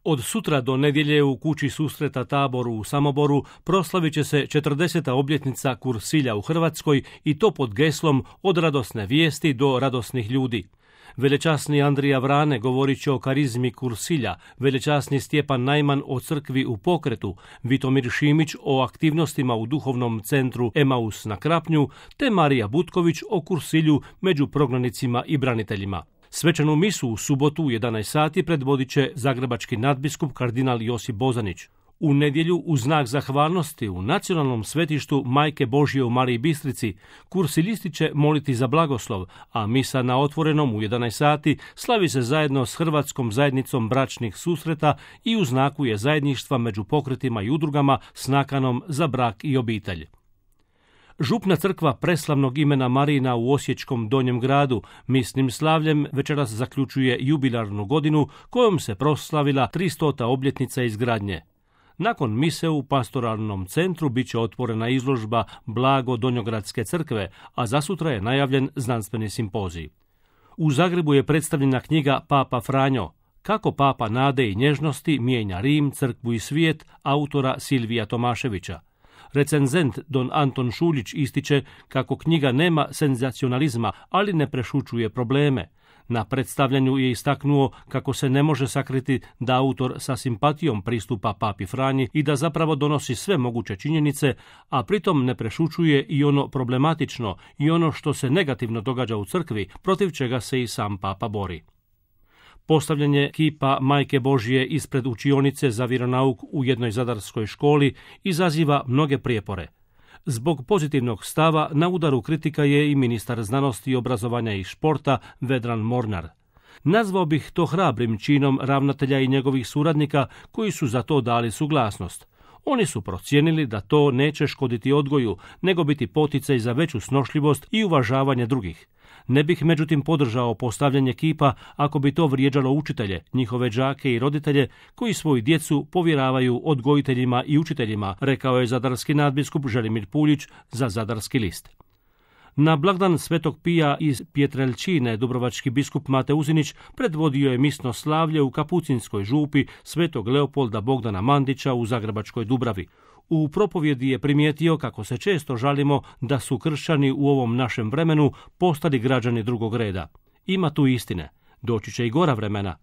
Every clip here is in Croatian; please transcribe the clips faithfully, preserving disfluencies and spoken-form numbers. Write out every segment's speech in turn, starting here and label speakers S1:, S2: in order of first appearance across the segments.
S1: Od sutra do nedjelje u kući susreta Tabor u Samoboru proslavit će se četrdeseta obljetnica Kursilja u Hrvatskoj i to pod geslom od radosne vijesti do radosnih ljudi. Velečasni Andrija Vrane govorit će o karizmi Kursilja, velečasni Stjepan Najman o crkvi u pokretu, Vitomir Šimić o aktivnostima u duhovnom centru Emaus na Krapnju, te Marija Butković o Kursilju među prognanicima i braniteljima. Svečanu misu u subotu u jedanaest sati predvodit će zagrebački nadbiskup kardinal Josip Bozanić. U nedjelju u znak zahvalnosti u nacionalnom svetištu Majke Božje u Mariji Bistrici kursilisti će moliti za blagoslov, a misa na otvorenom u jedanaest sati slavi se zajedno s Hrvatskom zajednicom bračnih susreta i u znaku je zajedništva među pokretima i udrugama s nakanom za brak i obitelj. Župna crkva preslavnog imena Marina u Osječkom Donjem gradu misnim slavljem večeras zaključuje jubilarnu godinu kojom se proslavila tristota obljetnica izgradnje. Nakon mise u pastoralnom centru bit će otvorena izložba Blago Donjogradske crkve, a zasutra je najavljen znanstveni simpozij. U Zagrebu je predstavljena knjiga Papa Franjo, Kako Papa nade i nježnosti mijenja Rim, crkvu i svijet, autora Silvija Tomaševića. Recenzent don Anton Šuljić ističe kako knjiga nema senzacionalizma, ali ne prešućuje probleme. Na predstavljanju je istaknuo kako se ne može sakriti da autor sa simpatijom pristupa Papi Franji i da zapravo donosi sve moguće činjenice, a pritom ne prešućuje i ono problematično i ono što se negativno događa u crkvi, protiv čega se i sam Papa bori. Postavljanje kipa Majke Božje ispred učionice za vjeronauk u jednoj zadarskoj školi izaziva mnoge prijepore. Zbog pozitivnog stava na udaru kritika je i ministar znanosti, obrazovanja i športa Vedran Mornar. Nazvao bih to hrabrim činom ravnatelja i njegovih suradnika koji su za to dali suglasnost. Oni su procijenili da to neće škoditi odgoju, nego biti poticaj za veću snošljivost i uvažavanje drugih. Ne bih međutim podržao postavljanje kipa ako bi to vrijeđalo učitelje, njihove đake i roditelje koji svoju djecu povjeravaju odgojiteljima i učiteljima, rekao je zadarski nadbiskup Želimir Puljić za Zadarski list. Na blagdan Svetog Pija iz Pjetreljčine dubrovački biskup Mate Uzinić predvodio je misno slavlje u Kapucinskoj župi Svetog Leopolda Bogdana Mandića u Zagrebačkoj Dubravi. U propovjedi je primijetio kako se često žalimo da su kršćani u ovom našem vremenu postali građani drugog reda. Ima tu istine. Doći će i gora vremena.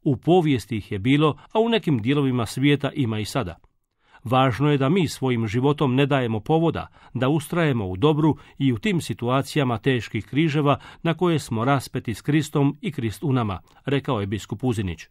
S1: U povijesti ih je bilo, a u nekim dijelovima svijeta ima i sada. Važno je da mi svojim životom ne dajemo povoda, da ustrajemo u dobru i u tim situacijama teških križeva na koje smo raspeti s Kristom i Krist u nama, rekao je biskup Uzinić.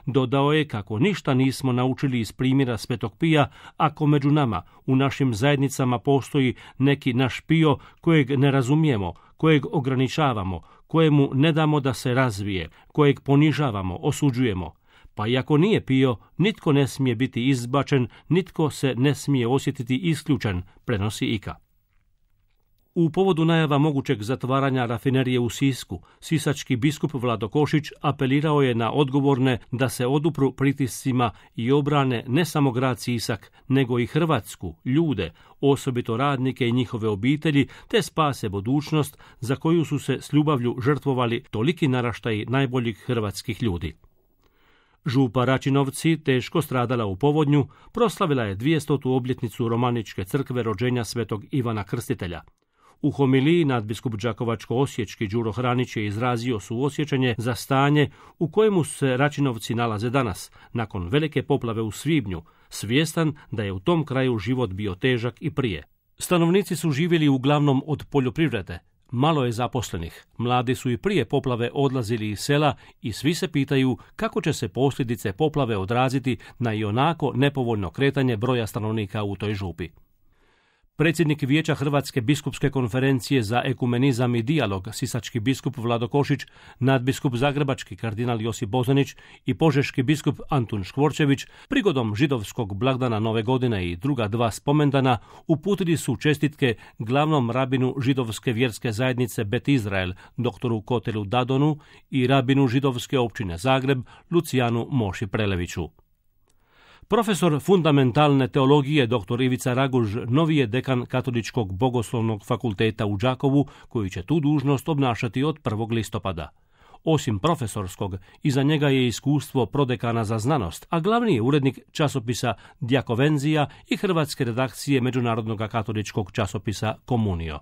S1: Dodao je kako ništa nismo naučili iz primjera Svetog Pija ako među nama, u našim zajednicama postoji neki naš Pio kojeg ne razumijemo, kojeg ograničavamo, kojemu ne damo da se razvije, kojeg ponižavamo, osuđujemo. Pa i ako nije Pio, nitko ne smije biti izbačen, nitko se ne smije osjetiti isključen, prenosi Ika. U povodu najava mogućeg zatvaranja rafinerije u Sisku, sisački biskup Vlado Košić apelirao je na odgovorne da se odupru pritiscima i obrane ne samo grad Sisak, nego i Hrvatsku, ljude, osobito radnike i njihove obitelji, te spase budućnost za koju su se s ljubavlju žrtvovali toliki naraštaji najboljih hrvatskih ljudi. Župa Račinovci, teško stradala u povodnju, proslavila je dvijestotu obljetnicu Romaničke crkve rođenja svetog Ivana Krstitelja. U homiliji nadbiskup Đakovačko-osječki Đuro Hranić je izrazio suosjećanje za stanje u kojemu se Račinovci nalaze danas, nakon velike poplave u svibnju, svjestan da je u tom kraju život bio težak i prije. Stanovnici su živjeli uglavnom od poljoprivrede. Malo je zaposlenih, mladi su i prije poplave odlazili iz sela i svi se pitaju kako će se posljedice poplave odraziti na ionako nepovoljno kretanje broja stanovnika u toj župi. Predsjednik Vijeća Hrvatske biskupske konferencije za ekumenizam i dijalog, sisački biskup Vlado Košić, nadbiskup zagrebački kardinal Josip Bozanić i požeški biskup Antun Škvorčević prigodom židovskog blagdana Nove godine i druga dva spomendana uputili su čestitke glavnom rabinu židovske vjerske zajednice Bet Izrael, doktoru Kotelu Dadonu i rabinu židovske općine Zagreb, Lucijanu Moši Preleviću. Profesor fundamentalne teologije dr. Ivica Raguž novi je dekan Katoličkog bogoslovnog fakulteta u Đakovu, koji će tu dužnost obnašati od prvog listopada. Osim profesorskog, iza njega je iskustvo prodekana za znanost, a glavni je urednik časopisa Djakovenzija i hrvatske redakcije Međunarodnog katoličkog časopisa Komunio.